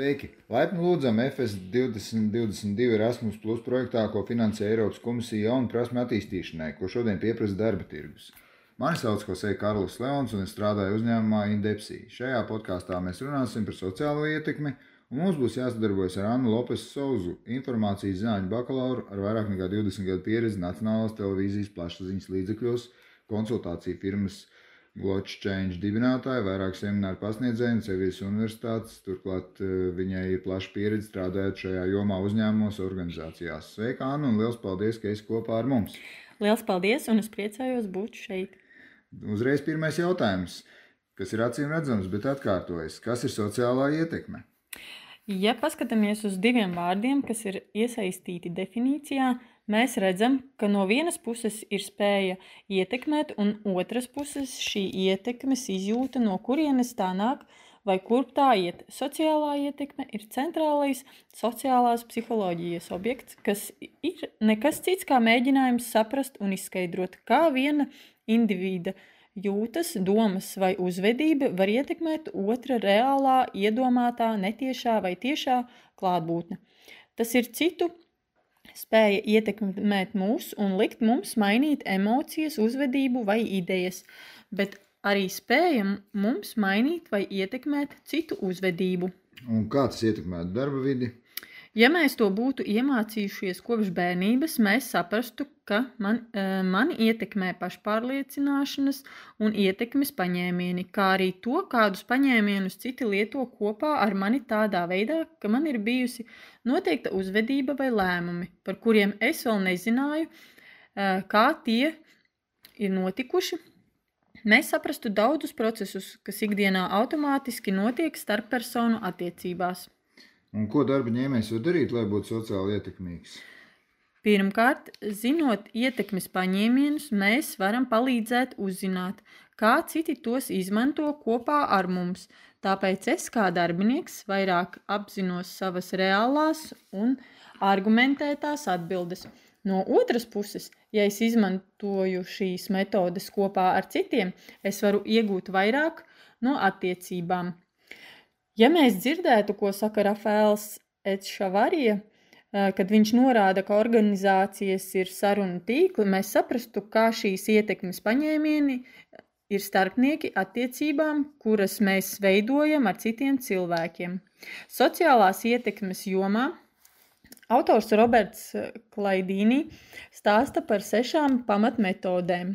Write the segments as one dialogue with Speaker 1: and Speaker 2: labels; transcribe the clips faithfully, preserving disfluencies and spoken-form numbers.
Speaker 1: Sveiki! Laipni lūdzam F S divdesmit divdesmit divi Erasmus Plus projektā, ko finansē Eiropas komisija jaunu prasmu attīstīšanai, ko šodien pieprasa darba tirgus. Mani sauc Jose Karlis Leons un es strādāju uzņēmumā Indepsī. Šajā podkāstā mēs runāsim par sociālo ietekmi, un mums būs jāsadarbojas ar Annu Lopesu Souzu, informācijas zinātņu bakalauru ar vairāk nekā divdesmit gadu pieredzi Nacionālās televīzijas plašsaziņas līdzekļos, konsultāciju firmas Glotch Change dibinātāja, vairāk semināru pasniedzēju un Sevijas universitātes, turklāt viņai ir plaša pieredze strādājot šajā jomā uzņēmumos, organizācijās. Sveika, Anna, un liels paldies, ka esi kopā ar mums.
Speaker 2: Liels paldies, un es priecājos būt šeit.
Speaker 1: Uzreiz pirmais jautājums, kas ir acīm redzams, bet atkārtojas. Kas ir sociālā ietekme?
Speaker 2: Ja paskatāmies uz diviem vārdiem, kas ir iesaistīti definīcijā, mēs redzam, ka no vienas puses ir spēja ietekmēt, un otras puses šī ietekmes izjūta, no kurienes tā nāk vai kurp tā iet. Sociālā ietekme ir centrālais sociālās psiholoģijas objekts, kas ir nekas cits kā mēģinājums saprast un izskaidrot, kā viena individa jūtas, domas vai uzvedība var ietekmēt otra reālā, iedomātā, netiešā vai tiešā klātbūtne. Tas ir citu spēja ietekmēt mūs un likt mums mainīt emocijas, uzvedību vai idejas, bet arī spēja mums mainīt vai ietekmēt citu uzvedību.
Speaker 1: Un kā tas ietekmētu darba vidi?
Speaker 2: Ja mēs to būtu iemācījušies kopš bērnības, mēs saprastu, ka man, mani ietekmē pašpārliecināšanas un ietekmes paņēmieni, kā arī to, kādus paņēmienus citi lieto kopā ar mani tādā veidā, ka man ir bijusi noteikta uzvedība vai lēmumi, par kuriem es vēl nezināju, kā tie ir notikuši. Mēs saprastu daudzus procesus, kas ikdienā automātiski notiek starppersonu attiecībās.
Speaker 1: Un ko darba ņēmējs var darīt, lai būtu sociāli ietekmīgs?
Speaker 2: Pirmkārt, zinot ietekmes paņēmienus, mēs varam palīdzēt uzzināt, kā citi tos izmanto kopā ar mums. Tāpēc es kā darbinieks vairāk apzinos savas reālās un argumentētās atbildes. No otras puses, ja es izmantoju šīs metodes kopā ar citiem, es varu iegūt vairāk no attiecībām. Ja mēs dzirdētu, ko saka Rafaels Etšavarija, kad viņš norāda, ka organizācijas ir sarunu tīkli, mēs saprastu, kā šīs ietekmes paņēmieni ir starpnieki attiecībām, kuras mēs veidojam ar citiem cilvēkiem. Sociālās ietekmes jomā autors Roberts Klaidīni stāsta par sešām pamatmetodēm.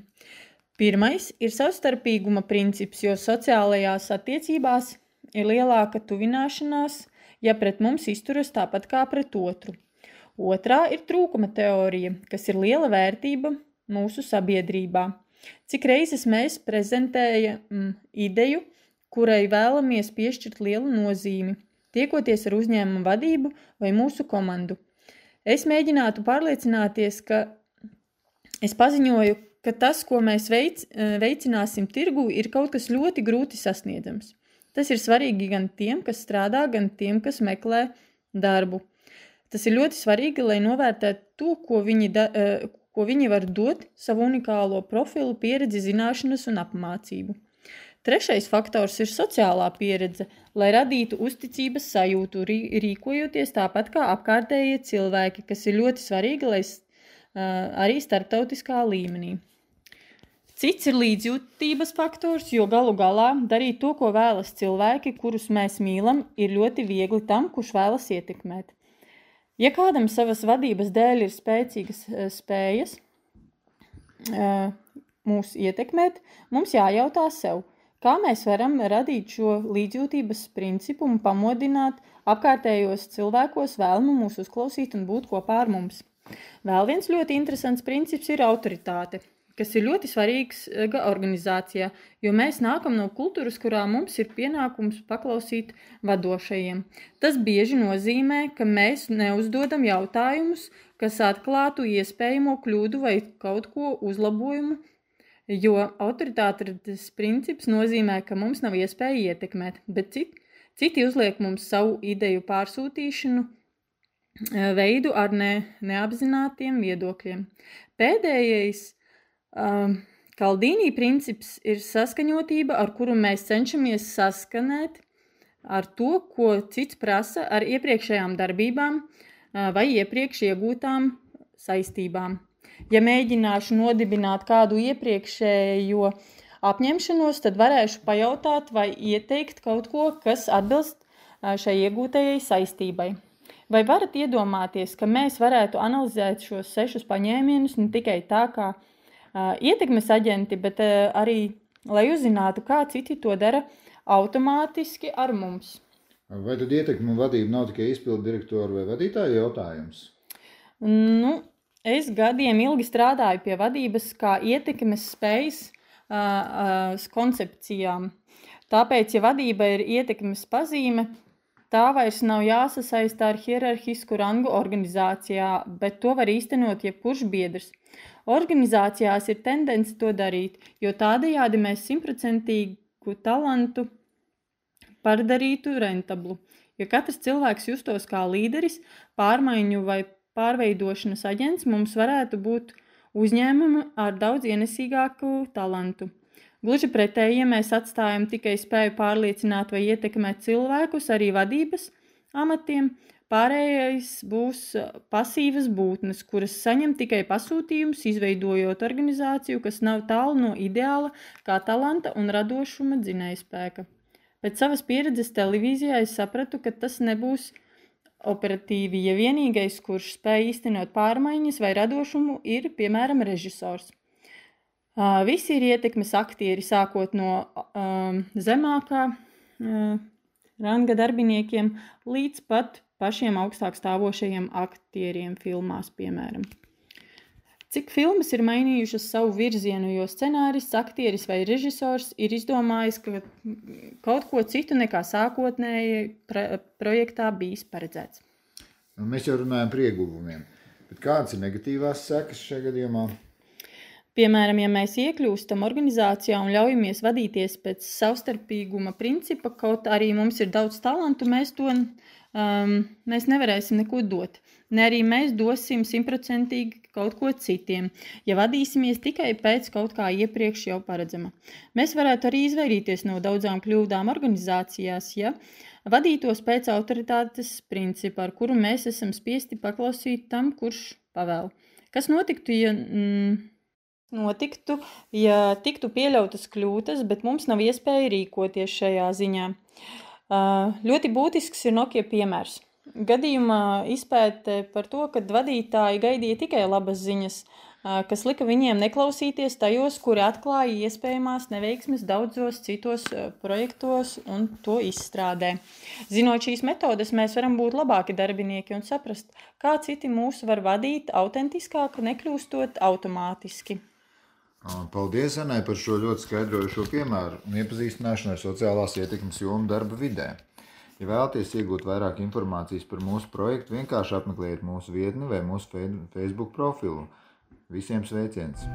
Speaker 2: Pirmais ir savstarpīguma princips, jo sociālajās attiecībās ir lielāka tuvināšanās, ja pret mums izturas tāpat kā pret otru. Otrā ir trūkuma teorija, kas ir liela vērtība mūsu sabiedrībā. Cik reizes mēs prezentējam mm, ideju, kurai vēlamies piešķirt lielu nozīmi, tiekoties ar uzņēmumu vadību vai mūsu komandu. Es mēģinātu pārliecināties, ka es paziņoju, ka tas, ko mēs veic, veicināsim tirgū, ir kaut kas ļoti grūti sasniedzams. Tas ir svarīgi gan tiem, kas strādā, gan tiem, kas meklē darbu. Tas ir ļoti svarīgi, lai novērtētu to, ko viņi, da, ko viņi var dot savu unikālo profilu, pieredzi, zināšanas un apmācību. Trešais faktors ir sociālā pieredze, lai radītu uzticības sajūtu, rīkojoties tāpat kā apkārtējie cilvēki, kas ir ļoti svarīgi, lai arī starptautiskā līmenī. Cits ir līdzjūtības faktors, jo galu galā darīt to, ko vēlas cilvēki, kurus mēs mīlam, ir ļoti viegli tam, kurš vēlas ietekmēt. Ja kādam savas vadības dēļ ir spēcīgas spējas mūs ietekmēt, mums jājautā sev, kā mēs varam radīt šo līdzjūtības principu un pamodināt apkārtējos cilvēkos vēlmu mūs uzklausīt un būt kopā ar mums. Vēl viens ļoti interesants princips ir autoritāte, kas ir ļoti svarīgs organizācijā, jo mēs nākam no kultūras, kurā mums ir pienākums paklausīt vadošajiem. Tas bieži nozīmē, ka mēs neuzdodam jautājumus, kas atklātu iespējamo kļūdu vai kaut ko uzlabojumu, jo autoritātes princips nozīmē, ka mums nav iespēja ietekmēt, bet citi, citi uzliek mums savu ideju pārsūtīšanu veidu ar ne, neapzinātiem viedokļiem. Pēdējais Kaldīnī princips ir saskaņotība, ar kuru mēs cenšamies saskanēt ar to, ko cits prasa ar iepriekšējām darbībām vai iepriekš iegūtām saistībām. Ja mēģināšu nodibināt kādu iepriekšējo apņemšanos, tad varēšu pajautāt vai ieteikt kaut ko, kas atbilst šai iegūtajai saistībai. Vai varat iedomāties, ka mēs varētu analizēt šos sešus paņēmienus ne tikai tā kā uh, ietekmes aģenti, bet uh, arī, lai uzzinātu, kā citi to dara automātiski ar mums?
Speaker 1: Vai tad ietekme un vadība nav tikai izpildu direktoru vai vadītāju jautājums?
Speaker 2: Nu, es gadiem ilgi strādāju pie vadības kā ietekmes spējas uh, uh, koncepcijām. Tāpēc, ja vadība ir ietekmes pazīme, tā vairs nav jāsasaista ar hierarhisku rangu organizācijā, bet to var īstenot jebkurš biedrs. Organizācijās ir tendence to darīt, jo tādējādi mēs simtprocentīgu talantu padarītu rentablu. Ja katrs cilvēks justos kā līderis, pārmaiņu vai pārveidošanas aģents, mums varētu būt uzņēmumi ar daudz ienesīgāku talantu. Gluži pretēji, ja mēs atstājam tikai spēju pārliecināt vai ietekmēt cilvēkus, arī vadības amatiem, pārējais būs pasīvas būtnes, kuras saņem tikai pasūtījumus, izveidojot organizāciju, kas nav tālu no ideāla kā talanta un radošuma dzinējspēka. Pēc savas pieredzes televīzijā es sapratu, ka tas nebūs operatīvi, ja vienīgais, kurš spēj īstenot pārmaiņas vai radošumu, ir, piemēram, režisors. Uh, visi ir ietekmes aktieri, sākot no um, zemākā uh, ranga darbiniekiem līdz pat pašiem augstāk stāvošajiem aktieriem filmās, piemēram. Cik filmas ir mainījušas savu virzienu, jo scenārists, aktieris vai režisors ir izdomājis ka kaut ko citu nekā sākotnēji projektā bijis paredzēts.
Speaker 1: Mēs jau runājam par ieguvumiem, bet kādas ir negatīvās sekas šajā gadījumā?
Speaker 2: Piemēram, ja mēs iekļūstam organizācijā un ļaujamies vadīties pēc savstarpīguma principa, kaut arī mums ir daudz talantu, mēs to um, mēs nevarēsim neko dot. Ne arī mēs dosim simtprocentīgi kaut ko citiem, ja vadīsimies tikai pēc kaut kā iepriekš jau paredzama. Mēs varētu arī izvairīties no daudzām kļūdām organizācijās, ja vadītos pēc autoritātes principa, ar kuru mēs esam spiesti paklausīt tam, kurš pavēl. Kas notiktu, ja... Mm, Notiktu, ja tiktu pieļautas kļūdas, bet mums nav iespēja rīkoties šajā ziņā. Ļoti būtisks ir Nokia piemērs. Gadījumā izpēte par to, ka vadītāji gaidīja tikai labas ziņas, kas lika viņiem neklausīties tajos, kuri atklāja iespējamās neveiksmes daudzos citos projektos un to izstrādē. Zinot šīs metodes, mēs varam būt labāki darbinieki un saprast, kā citi mūs var vadīt autentiskāk, nekļūstot automātiski.
Speaker 1: Paldies, Anai, par šo ļoti skaidrojušo piemēru un iepazīstināšanu ar sociālās ietekmes jomu darba vidē. Ja vēlaties iegūt vairāk informācijas par mūsu projektu, vienkārši apmeklējiet mūsu vietni vai mūsu Facebook profilu. Visiem sveiciens!